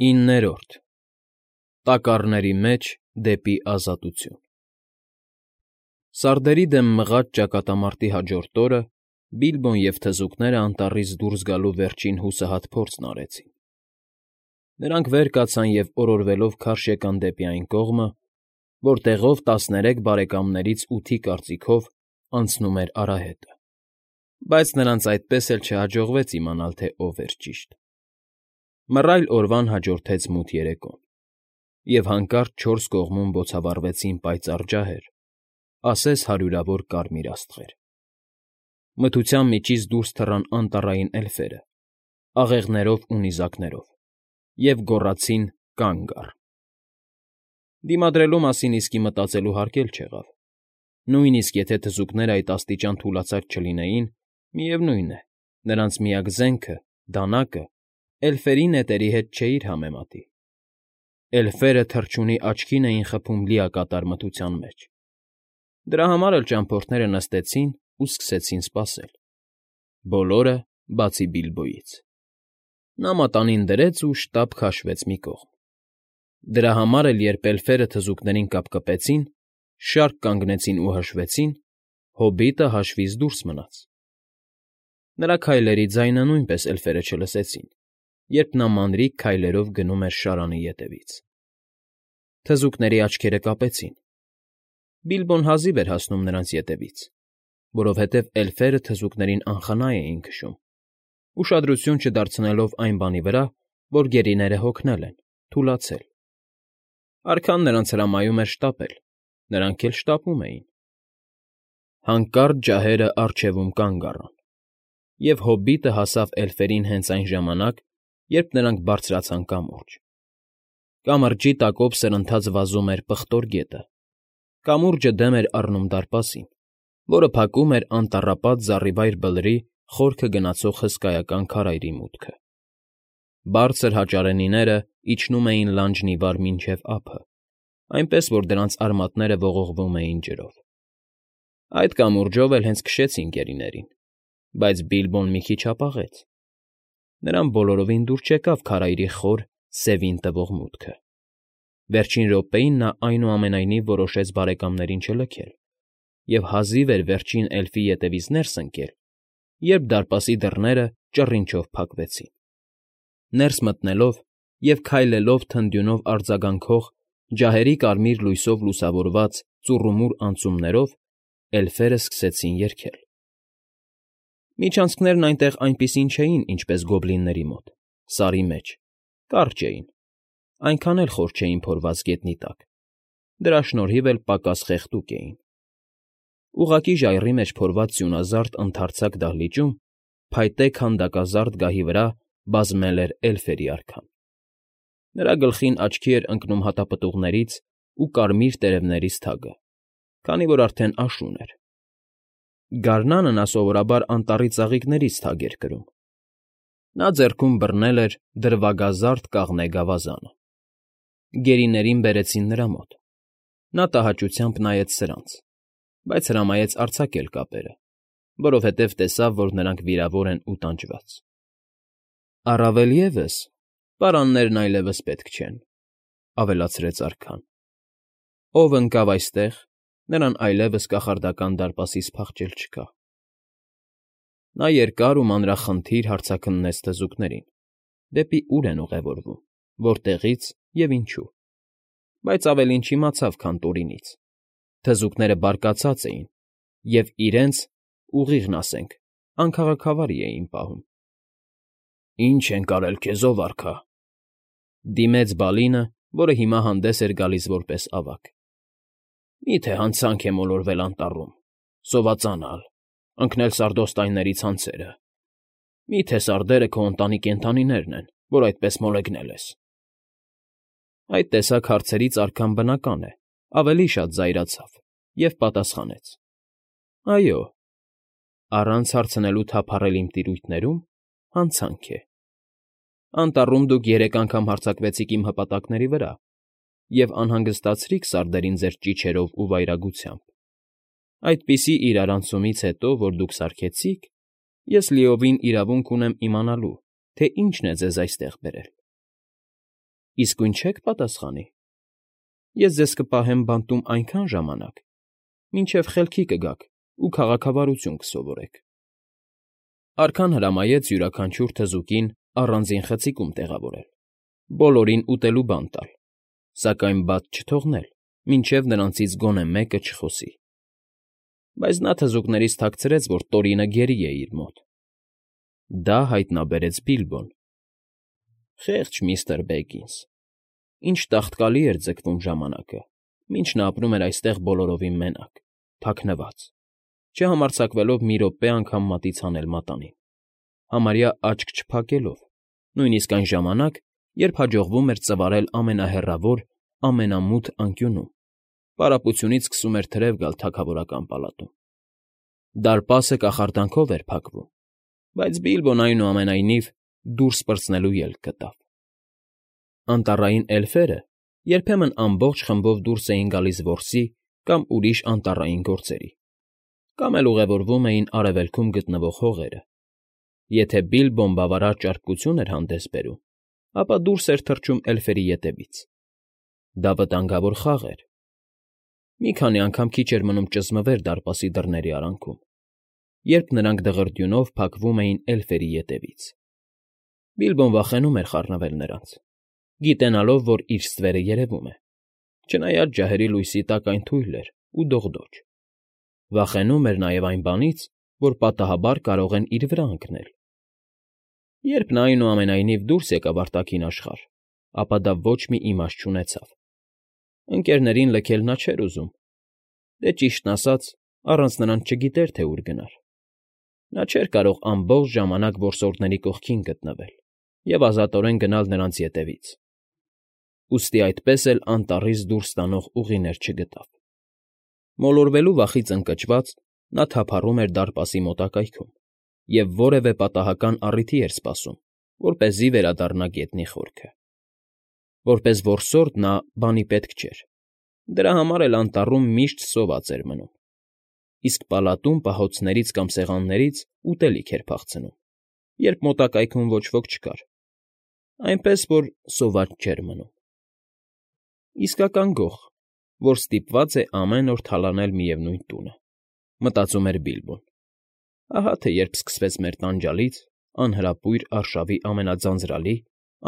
9. Տակառների մեջ դեպի ազատություն Սարդերի դեմ մղած ճակատամարտի հաջորդ օրը Բիլբոն և թզուկները անտառից դուրս գալու վերջին հուսահատ փորձն արեցին. նրանք վեր կացան և օրորվելով քարշ եկան դեպի այն կողմը, որտեղով 13 բարեկամներից 8-ի կարծիքով անցնում էր արահետը, բայց նրանց այդպես էլ չհաջողվեց իմանալ, թե ով էր ճիշտ. Մռայլ օրվան հաջորդեց մութ երեկոն, և հանկարծ չորս կողմում բոցավառվեցին պայծառ ջահեր, ասես հարյուրավոր կարմիր աստղեր. մթության միջից դուրս թռան անտառային էլֆերը, աղեղներով ու նիզակներով, և գոռացին. «Կա՛նգ առ»։ Դիմադրելու մասին իսկի մտածելու հարկ էլ չեղավ. նույնիսկ եթե թզուկներն այդ աստիճան թուլացած չլինեին, միևնույն է, նրանց միակ զենքը՝ դանակը, էլֆերի նետերի հետ չէիր համեմատի. էլֆերը թռչունի աչքին էին խփում լիակատար մթության մեջ. դրա համար էլ ճամփորդները նստեցին ու սկսեցին սպասել. բոլորը, բացի Բիլբոյից. նա մատանին դրեց ու շտապ քաշվեց մի կողմ. դրա համար էլ, երբ էլֆերը թզուկներին կապկպեցին, շարք կանգնեցին ու հաշվեցին, հոբիտը հաշվից դուրս մնաց. նրա քայլերի ձայնը նույնպես էլֆերը չլսեցին, երբ նա մանրիկ քայլերով գնում էր շարանի ետևից. թզուկների աչքերը կապեցին. Բիլբոն հազիվ էր հասնում նրանց ետևից, որովհետև էլֆերը թզուկներին անխնա էին քշում, ուշադրություն չդարձնելով այն բանի վրա, որ գերիները հոգնել են, թուլացել. արքան նրանց հրամայում էր շտապել, նրանք էլ շտապում էին. Հանկարծ ջահերը առջևում կանգ առան, և հոբիտը հասավ էլֆերին հենց այն ժամանակ, երբ նրանք բարձրացան կամուրջ. կամրջի տակով սրընթաց վազում էր պղտոր գետը, կամուրջը դեմ էր առնում դարպասին, որը փակում էր անտառապատ զառիվայր բլրի խորքը գնացող հսկայական քարայրի մուտքը. բարձր հաճարենիները իջնում էին լանջն ի վար մինչև ափը, այնպես որ դրանց արմատները ողողվում էին ջրով. այդ կամուրջով էլ հենց քշեցին գերիներին, բայց Բիլբոն մի քիչ հապաղեց. նրան բոլորովին դուր չեկավ քարայրի խոր, սևին տվող մուտքը. վերջին րոպեին նա այնուամենայնիվ որոշեց բարեկամներին չլքել և հազիվ էր վերջին էլֆի ետևից ներս ընկել, երբ դարպասի դռները ճռինչով փակվեցին. ներս մտնելով և քայլելով թնդյունով արձագանքող, ջահերի կարմիր լույսով լուսավորված ծուռումուռ անցումներով, էլֆերը սկսեցին երգել. Միջանցքներն այնտեղ այնպիսին չէին, ինչպես գոբլինների մոտ, սարի մեջ, կարճ էին, այնքան էլ խոր չէին փորված գետնի տակ, դրա շնորհիվ էլ պակաս խեղդուկ էին. ուղղակի ժայռի մեջ փորված սյունազարդ ընդարձակ դահլիճում, փայտե քանդակազարդ գահի վրա բազմել էր էլֆերի արքան. նրա գլխին աչքի էր ընկնում հատապտուղներից ու կարմիր տերևներից թագը, քանի որ արդեն աշուն էր. գարնանը նա սովորաբար անտառի ծաղիկներից թագ էր կրում. նա ձեռքում բռնել էր դրվագազարդ կաղնե գավազանը. գերիներին բերեցին նրա մոտ. նա տհաճությամբ նայեց սրանց, բայց հրամայեց արձակել կապերը, որովհետև տեսավ, որ նրանք վիրավոր են ու տանջված. առավել ևս, պարաններն այլևս պետք չեն, ավելացրեց արքան. ով ընկավ այստեղ, նրան այլևս կախարդական դարպասից փախչել չկա. նա երկար ու մանրախնդիր հարցաքննեց թզուկներին, դեպի ուր են ուղևորվում, որտեղից և ինչու, բայց ավելին չիմացավ, քան Տորինից. թզուկները բարկացած էին և իրենց, ուղիղն ասենք, անքաղաքավարի էին պահում. Ինչ ենք արել քեզ, ով արքա,֊ դիմեց Բալինը, որը հիմա հանդես էր գալիս որպես ավագ. մի՞թե հանցանք է մոլորվել անտառում, սովածանալ, ընկնել սարդոստայնների ցանցերը, մի՞թե սարդերը քո ընտանի կենդանիներն են, որ այդպես մոլեգնել ես… Այդ տեսակ հարցերից արքան, բնական է, ավելի շատ զայրացավ և պատասխանեց. այո, առանց հարցնելու թափառել իմ տիրույթներում հանցանք է. անտառում դուք 3 անգամ հարձակվեցիք իմ հպատակների վրա և անհանգստացրիք սարդերին ձեր ճիչերով ու վայրագությամբ. այդպիսի իրարանցումից հետո, որ դուք սարքեցիք, ես լիովին իրավունք ունեմ իմանալու, թե ինչն է ձեզ այստեղ բերել։ իսկույն չեք պատասխանի։ Ես ձեզ կպահեմ բանտում այնքան ժամանակ, մինչև խելքի կգաք ու քաղաքավարություն կսովորեք։ Արքան հրամայեց յուրաքանչյուր թզուկին առանձին խցիկում տեղավորել, բոլորին ուտելու բան տալ, սակայն բաց չթողնել, մինչև նրանցից գոնե մեկը չխոսի։ Բայց նա թզուկներից թաքցրեց, որ Տորինը գերի է իր մոտ։ Դա հայտնաբերեց Բիլբոն։ Խեղճ միստր Բեգինս, ինչ տաղտկալի էր ձգվում ժամանակը, մինչ նա ապրում էր այստեղ բոլորովին մենակ, թաքնված, չհամարձակվելով մի րոպե անգամ մատից հանել մատանին, համարյա աչք չփակելով, նույնիսկ այն ժամանակ, երբ հաջողվում էր ծվարել ամենահեռավոր, ամենամութ անկյունում, պարապությունից սկսում էր թրև գալ թագավորական պալատում։ Դարպասը կախարդանքով էր փակվում, բայց Բիլբոն այնուամենայնիվ դուրս պրծնելու ելք գտավ։ Անտառային էլֆերը երբեմն ամբողջ խմբով դուրս էին գալիս որսի կամ ուրիշ անտառային գործերի, կամ էլ ուղևորվում էին արևելքում գտնվող հողերը։ Եթե Բիլբոն բավարար ճարպկություն էր հանդես բերում, ապա դուրս էր թռչում էլֆերի ետևից։ Դա վտանգավոր խաղ էր։ Մի քանի անգամ քիչ էր մնում ճզմվեր դարպասի դռների արանքում, երբ նրանք դղրդյունով փակվում էին էլֆերի ետևից։ Բիլբոն վախենում էր խառնվել նրանց, գիտենալով, որ իր ստվերը երևում է, չնայած ջահերի լույսի տակ այն թույլ էր ու դողդոջ։ Վախենում էր նաև այն բանից, որ պատահաբար կարող են իր վրա ընկնել։ Երբ նա այնուամենայնիվ դուրս եկավ արտաքին աշխարհ, ապա դա ոչ մի իմաստ չունեցավ։ Ընկերներին լքել նա չէր ուզում, դե ճիշտն ասած, առանց նրանց չգիտեր, թե ուր գնար։ Նա չէր կարող ամբողջ ժամանակ որսորդների կողքին գտնվել և ազատորեն գնալ նրանց ետևից։ Ուստի այդպես էլ անտառից դուրս տանող ուղիներ չգտավ։ Մոլորվելու վախից ընկճված՝ նա թափառում էր դարպասի մոտակայքում և որևէ պատահական առիթի էր սպասում, որպեսզի վերադառնա գետնի խորքը։ Որպես որսորդ նա բանի պետք չէր, դրա համար էլ անտառում միշտ սոված էր մնում, իսկ պալատում պահոցներից կամ սեղաններից ուտելիք էր փախցնում, երբ մոտակայքում ոչ ոք չկար, այնպես որ սոված չէր մնում։ Իսկական գող, որ ստիպված է ամեն օր թալանել միևնույն տունը, մտածում էր Բիլբոն։ Ահա թե երբ սկսվեց մեր տանջալից անհրապույր արշավի ամենաձանձրալի,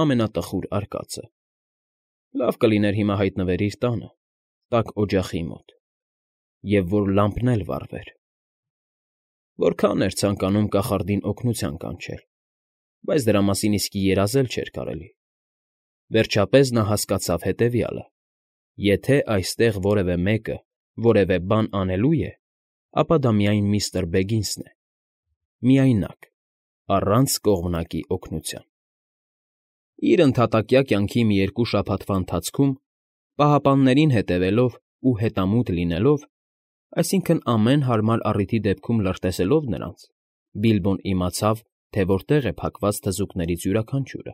ամենատխուր արկածը։ Լավ կլիներ հիմա հայտնվեր իր տանը, տաք օջախի մոտ, և որ լամպն էլ վառվեր։ Որքան էր ցանկանում կախարդին օգնության կանչել, բայց դրա մասին իսկի երազել չէր կարելի։ Վերջապես նա հասկացավ հետևյալը. եթե այստեղ որևէ մեկը որևէ բան անելու է, ապա դա միայն միստր Բեգինսն է, միայնակ, առանց կողմնակի օգնության։ Իր ընդհատակյա կյանքի մի երկու շաբաթվա ընթացքում, պահապաններին հետևելով ու հետամուտ լինելով, այսինքն ամեն հարմար առիթի դեպքում լրտեսելով նրանց, Բիլբոն իմացավ, թե որտեղ է փակված թզուկներից յուրաքանչյուրը։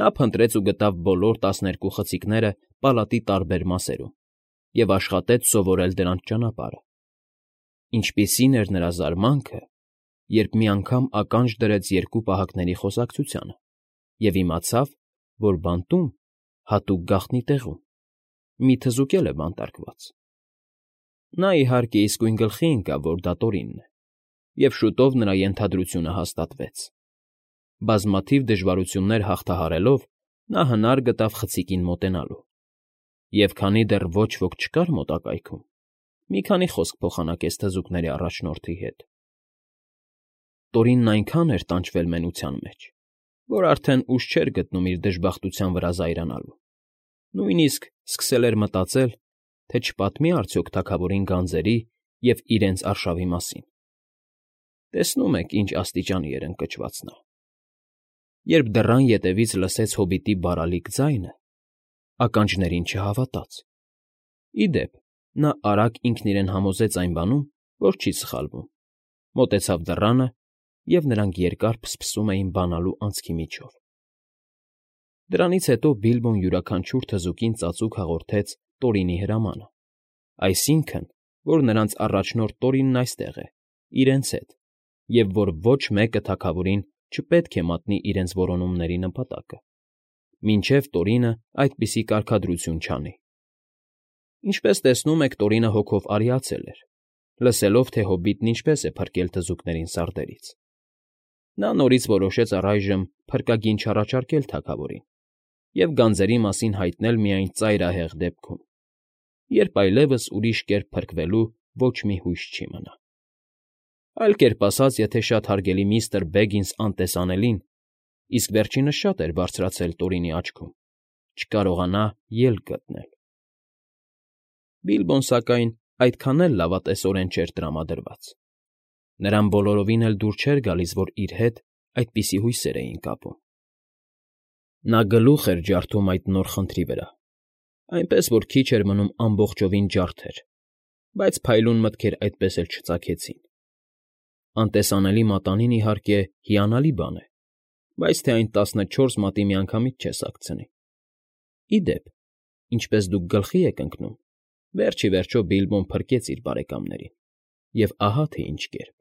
Նա փնտրեց ու գտավ բոլոր 12 խցիկները պալատի տարբեր մասերում և աշխատեց սովորել դրանց ճանապարհը։ Ինչպիսին էր նրա զարմանքը, երբ մի անգամ ականջ դրեց երկու պահակների խոսակցությանը և իմացավ, որ բանտում, հատուկ գաղտնի տեղում, մի թզուկ է բանտարկված։ Նա, իհարկե, իսկույն գլխի ընկավ, որ դա Տորինն է, և շուտով նրա ենթադրությունը հաստատվեց։ Բազմաթիվ դժվարություններ հաղթահարելով՝ նա հնար գտավ խցիկին մոտենալու, և քանի դեռ ոչ ոք չկար մոտակայքում, մի քանի խոսք փոխանակեց թզուկների առաջնորդի հետ։ Տորինն այնքան էր տանջվել մենության մեջ, որ արդեն ուժ չէր գտնում իր դժբախտության վրա զայրանալու, նույնիսկ սկսել էր մտածել, թե չպատմի արդյոք թագավորին գանձերի և իրենց արշավի մասին։ Տեսնում եք, ինչ աստիճանի էր ընկճված նա։ Երբ դռան ետևից լսեց հոբիտի բարալիկ ձայնը, ականջներին չհավատաց։ Ի դեպ, նա արագ ինքն իրեն համոզեց այն բանում, որ չի սխալվում, մոտեցավ դռանը, և նրանք երկար փսփսում էին բանալու անցքի միջով։ Դրանից հետո Բիլբոն յուրաքանչյուր թզուկին ծածուկ հաղորդեց Տորինի հրամանը, այսինքն, որ նրանց առաջնորդ Տորինն այստեղ է, իրենց հետ, և որ ոչ մեկը թագավորին չպետք է մատնի իրենց որոնումների նպատակը։ մինչև Տորինը այդպիսի կարգադրություն չանի։ Ինչպես տեսնում եք, Տորինը հոգով արիացել էր, լսելով, թե հոբիտն ինչպես է փրկել թզուկներին սարդերից։ Նա նորից որոշեց առայժմ փրկագին չառաջարկել թագավորին և գանձերի մասին հայտնել միայն ծայրահեղ դեպքում, երբ այլևս ուրիշ կերպ փրկվելու ոչ մի հույս չի մնա։ Այլ կերպ ասած, եթե շատ հարգելի միստր Բեգինս անտեսանելին, իսկ վերջինս շատ էր բարձրացել Տորինի աչքում, չկարողանա ելք գտնել։ Բիլբոն, սակայն, այդքան էլ լավատեսորեն չէր տրամադրված։ Նրան բոլորովին էլ դուր չէր գալիս, որ իր հետ այդպիսի հույսեր էին կապում։ Նա գլուխ էր ջարդում այդ նոր խնդրի վրա, այնպես որ քիչ էր մնում ամբողջովին ջարդեր, բայց փայլուն մտքեր այդպես էլ չծագեցին։ Անտեսանելի մատանին, իհարկե, հիանալի բան է, բայց թե այն 14 մատի միանգամից չես հագցնի։ Ի դեպ, ինչպես դուք գլխի եք ընկնում, վերջ ի վերջո Բիլբոն փրկեց իր բարեկամներին, և ահա թե ինչ կերպ։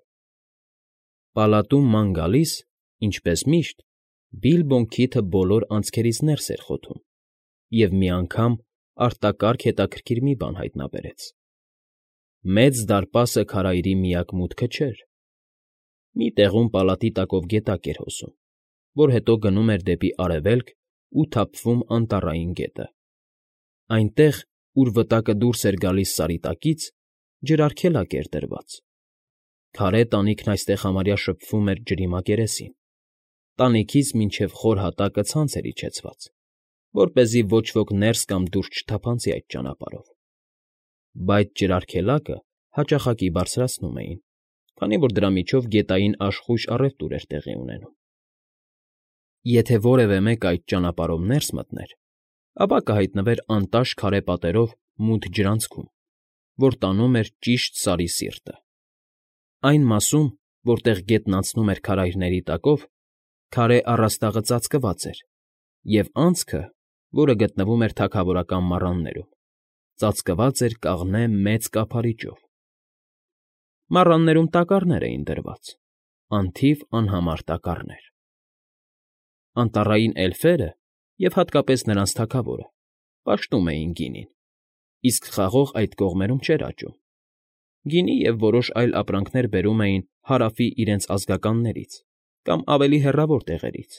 Պալատում ման գալիս, ինչպես միշտ, Բիլբոն քիթը բոլոր անցքերից ներս էր խոթում և մի անգամ արտակարգ հետաքրքիր մի բան հայտնաբերեց. Մեծ դարպասը քարայրի միակ մուտքը չէր։ Մի տեղում պալատի տակով գետակ էր հոսում, որ հետո գնում էր դեպի արևելք ու թափվում Անտառային գետը։ Այնտեղ, ուր վտակը դուրս էր գալիս սարի տակից, ջրարգելակ էր դրված։ Քարե տանիքն այստեղ համարյա շփվում էր ջրի մակերեսին։ Տանիքից մինչև խոր հատակը ցանց էր իջեցված, որպեսզի ոչ ոք ներս կամ դուրս չթափանցի այդ ճանապարհով։ Բայց ջրարգելակը հաճախակի բարձրացնում էին, քանի որ դրա միջով գետային աշխույժ առևտուր էր տեղի ունենում։ Եթե որևէ մեկը այդ ճանապարհով ներս մտներ, ապա կհայտնվեր անտաշ քարե պատերով մութ ջրանցքում, որ տանում էր ճիշտ Սարի սիրտը։ Այն մասում, որտեղ գետն անցնում էր քարայրների տակով, քարե առաստաղը ծածկված էր, և անցքը, որը գտնվում էր թագավորական մառաններում, ծածկված էր կաղնե մեծ կափարիչով։ Մառաններում տակառներ էին դրված, անթիվ անհամար տակառներ։ Անտառային էլֆերը, և հատկապես նրանց թագավորը, պաշտում էին գինին, իսկ խաղող այդ կողմերում չէր աճում։ Գինի և որոշ այլ ապրանքներ բերում էին Հարավի իրենց ազգականներից կամ ավելի հեռավոր տեղերից,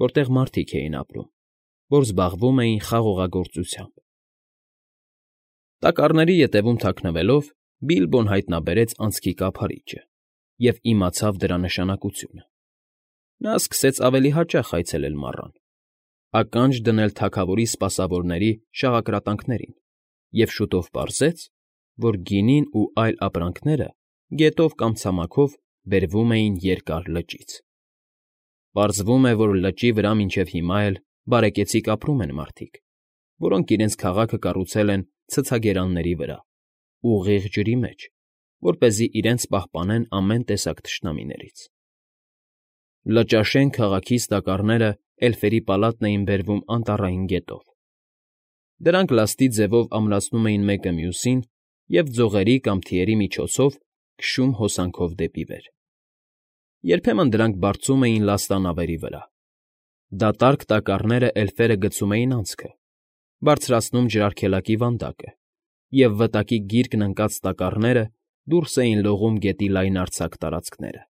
որտեղ մարդիկ էին ապրում, որ զբաղվում էին խաղողագործությամբ։ Տակառների ետևում թաքնվելով՝ Բիլբոն հայտնաբերեց անցքի կափարիչը և իմացավ դրա նշանակությունը։ Նա սկսեց ավելի հաճախ այցելել մառան, ականջ դնել թագավորի սպասավորների շաղակրատանքներին և շուտով պարզեց, որ գինին ու այլ ապրանքները գետով կամ ցամաքով բերվում էին Երկար լճից։ Պարզվում է, որ լճի վրա մինչև հիմա էլ բարեկեցիկ ապրում են մարդիկ, որոնք իրենց քաղաքը կառուցել են ցցագերանների վրա, ուղիղ ջրի մեջ, որպեսզի իրենց պահպանեն ամեն տեսակ թշնամիներից։ Լճաշեն քաղաքից տակառները էլֆերի պալատն էին բերվում Անտառային գետով։ Դրանք լաստի ձևով ամրացնում էին մեկը մյուսին և ձողերի կամ թիերի միջոցով քշում հոսանքով դեպի վեր։ Երբեմն դրանք բարձում էին լաստանավերի վրա։ Դատարկ տակառները էլֆերը գցում էին անցքը, բարձրացնում ջրարգելակի վանդակը, և վտակի գիրկն ընկած տակառները դուրս էին լողում գետի լայնարձակ տարածքները։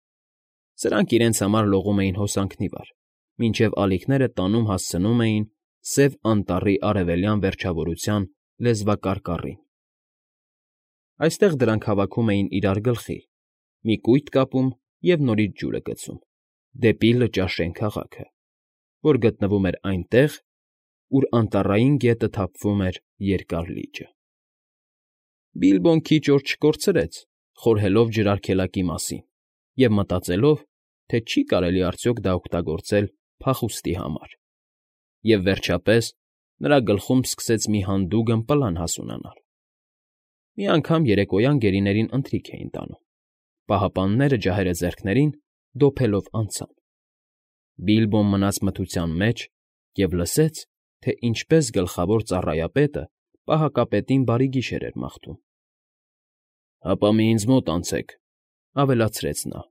Սրանք իրենց համար լողում էին հոսանքն ի վար, մինչև ալիքները տանում հասցնում էին Սև Անտառի արևելյան վերջավորության լեզվակարկառին։ Այստեղ դրանք հավաքում էին իրար գլխի, մի կույտ կապում և նորից ջուրը գցում, դեպի Լճաշեն քաղաքը, որ գտնվում էր այնտեղ, ուր Անտառային գետը թափվում էր Երկար լիճը։ Բիլբոն քիչ օր չկորցրեց՝ խորհելով ջրարգելակի մասին և մտածելով, թե չի կարելի արդյոք դա օգտագործել փախուստի համար։ Եվ վերջապես, նրա գլխում սկսեց մի հանդուգն պլան հասունանալ։ Մի անգամ երեկոյան գերիներին ընթրիք էին տանում։ Պահապանները, ջահերը ձեռքներին, դոփելով անցան։ Բիլբոն մնաց մթության մեջ և լսեց, թե ինչպես գլխավոր ծառայապետը պահակապետին բարի գիշեր էր մաղթում։ ֊ Հապա մի ինձ մոտ անցեք,֊ ավելացրեց նա,֊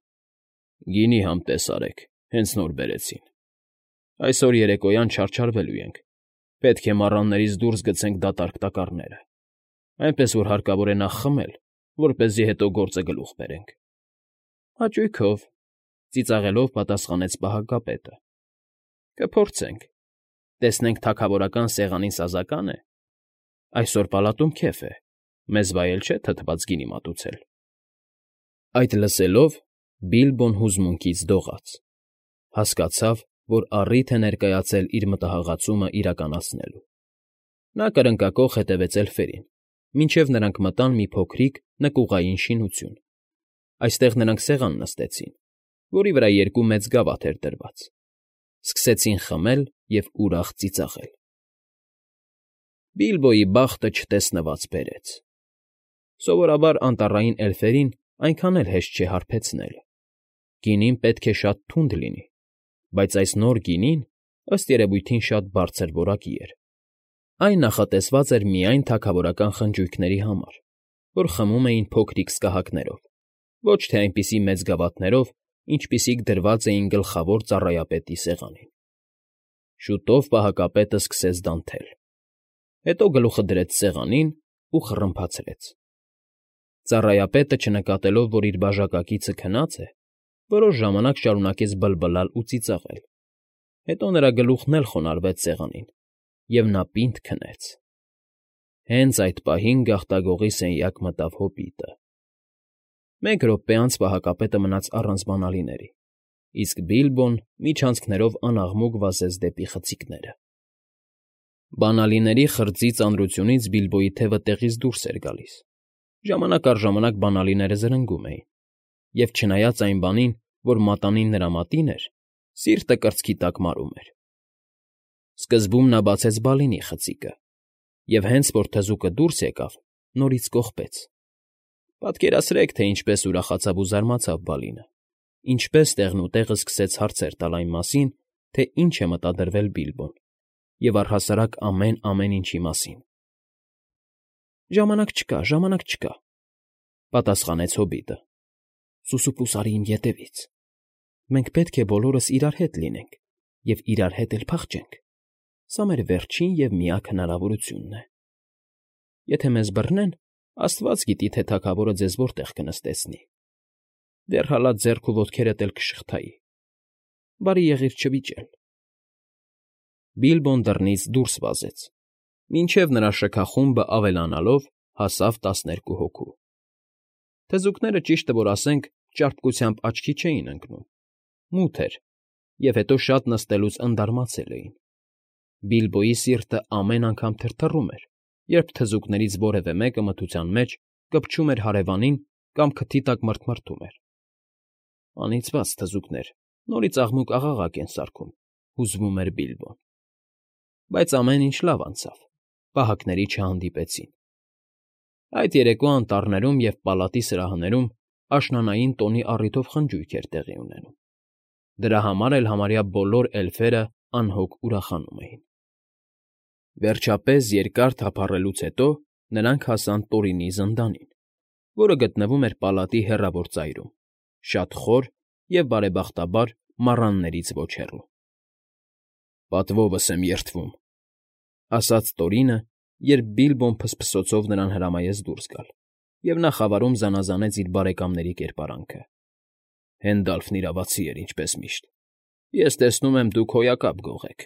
գինի համտես արեք, հենց նոր բերեցին։ Այսօր երեկոյան չարչարվելու ենք, պետք է մառաններից դուրս գցենք դատարկ տակառները, այնպես որ հարկավոր է նախ խմել, որպեսզի հետո գործը գլուխ բերենք։ ֊ Հաճույքով,֊ ծիծաղելով պատասխանեց պահակապետը։ ֊ Կփորձենք, տեսնենք թագավորական սեղանին սազակա՞ն է։ Այսօր պալատում քեֆ է, մեզ վայել չէ թթված գինի մատուցել։ Այդ լսելով Բիլբոն հուզմունքից դողաց. հասկացավ, որ առիթ է ներկայացել իր մտահաղացումը իրականացնելու։ Նա կրնկակոխ հետևեց էլֆերին, մինչև նրանք մտան մի փոքրիկ նկուղային շինություն։ Այստեղ նրանք սեղան նստեցին, որի վրա երկու մեծ գավաթ էր դրված։ Սկսեցին խմել և ուրախ ծիծաղել։ Բիլբոյի բախտը չտեսնված բերեց։ Սովորաբար անտառային էլֆերին այնքան էլ հեշտ չէ հարբեցնել։ Գինին պետք է շատ թունդ լինի, բայց այս նոր գինին, ըստ երևույթին, շատ բարձր որակի էր։ Այն նախատեսված էր միայն թագավորական խնջույքների համար, որ խմում էին փոքրիկ սկահակներով, ոչ թե այնպիսի մեծ գավաթներով, ինչպիսիք դրված էին գլխավոր ծառայապետի սեղանին։ Շուտով պահակապետը սկսեց դանթել։ Հետո գլուխը դրեց սեղանին ու խռմփացրեց։ Ծառայապետը, չնկատելով, որ իր բաժակակիցը քնած է, որոշ ժամանակ շարունակեց բլբլալ ու ծիծաղել։ Հետո նրա գլուխն էլ խոնարհվեց սեղանին, և նա պինդ քնեց։ Հենց այդ պահին գաղտագողի սենյակ մտավ հոբիտը։ Մեկ րոպե անց պահակապետը մնաց առանց բանալիների, իսկ Բիլբոն միջանցքներով անաղմուկ վազեց դեպի խցիկները։ Բանալիների խրձի ծանրությունից Բիլբոյի թևը տեղից դուրս էր գալիս։ Ժամանակ առ ժամանակ բանալիները զրնգում էին, և չնայած այն բանին, որ մատանին նրա մատին էր, սիրտը կրծքի տակ մարում էր։ Սկզբում նա բացեց Բալինի խցիկը, և հենց որ թզուկը դուրս եկավ, նորից կողպեց։ Պատկերացրեք, թե ինչպես ուրախացավ ու զարմացավ Բալինը, ինչպես տեղնուտեղը սկսեց հարցեր տալ այն մասին, թե ինչ է մտադրվել Բիլբոն, և առհասարակ ամեն ինչի մասին։ Ժամանակ չկա,֊ պատասխանեց հոբիտը։ Սուսուփուս արի իմ ետևից։ Մենք պետք է բոլորս իրար հետ լինենք և իրար հետ էլ փախչենք։ Սա մեր վերջին և միակ հնարավորությունն է։ Եթե մեզ բռնեն, աստված գիտի, թե թագավորը ձեզ որտեղ կնստեցնի։ Դեռ հալած ձեռք ու ոտքերդ էլ կշղթայի։ Բարի եղիր չվիճել։ Բիլբոն դռնից դուրս վազեց, մինչև նրա շքախումբը ավելանալով հասավ 12 հոգու։ Թզուկները, ճիշտը որ ասենք, ճարպկությամբ աչքի չէին ընկնում։ Մութ էր, և հետո շատ նստելուց ընդարմացել էին։ Բիլբոյի սիրտը ամեն անգամ թրթռում էր, երբ թզուկներից որևէ մեկը մթության մեջ կպչում էր հարևանին կամ քթի տակ մռթմռթում էր։ Անիծված թզուկներ, նորից աղմուկ֊աղաղակ են սարքում, հուզվում էր Բիլբոն։ Բայց ամեն ինչ լավ անցավ, պահակների չհանդիպեցին։ Այդ երեկո անտառներում և պալատի սրահներում աշնանային տոնի առիթով խնջույք էր տեղի ունենում։ Դրա համար էլ համարյա բոլոր էլֆերը անհոգ ուրախանում էին։ Վերջապես, երկար թափառելուց հետո նրանք հասան Տորինի զնդանին, որը գտնվում էր պալատի հեռավոր ծայրում, շատ խոր և, բարեբախտաբար, մառաններից ոչ հեռու։ «Պատվովս եմ երդվում,֊ ասաց Տորինը, երբ Բիլբոն փսփսոցով նրան հրամայեց դուրս գալ, և նա խավարում զանազանեց իր բարեկամների կերպարանքը։ Հենդալֆն իրավացի էր, ինչպես միշտ։ Ես տեսնում եմ, դուք հոյակապ գող եք։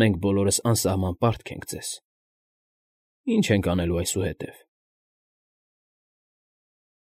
Մենք բոլորս անսահման պարտք ենք ձեզ։ Ի՞նչ ենք անելու այսուհետև։